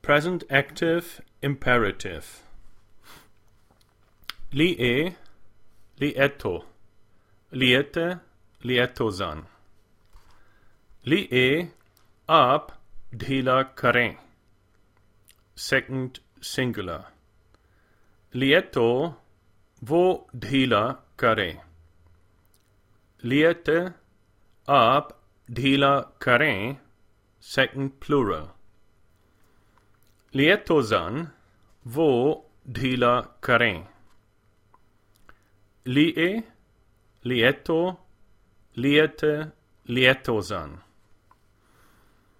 Present active imperative. Lie, lieto, liete, lietozan. Lie aap dhila kare. Second singular. Lieto vo dhila kare. Liete aap dhila kare. Second plural. Lietozan vo dhila kare. Lie, lieto, liete, lietozan.